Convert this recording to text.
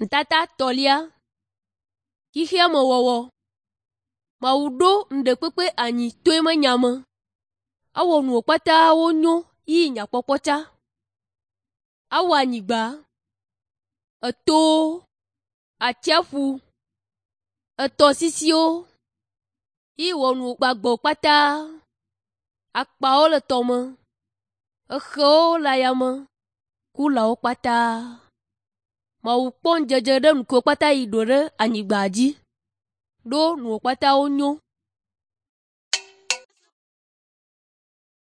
Ŋutata tɔ̃lia. Xexeamewɔwɔ. Mawu ɖo ŋɖekpekpe anyi to eme nya me. Ewɔ nuwo kpata wonyo yi nyakpɔkpɔ tsa. Ewɔ anyigba, etowo, atsiaƒu, etɔsisiwo yi wɔ nu gbagbewo kpata. Akpawo le tɔme, exewo le ayame, kulawo kpata. Mawu kpɔ ŋudzedze ɖe nukewo kpata yi ɖo ɖe anyigba dzi, ɖo nuwo kpata wonyo.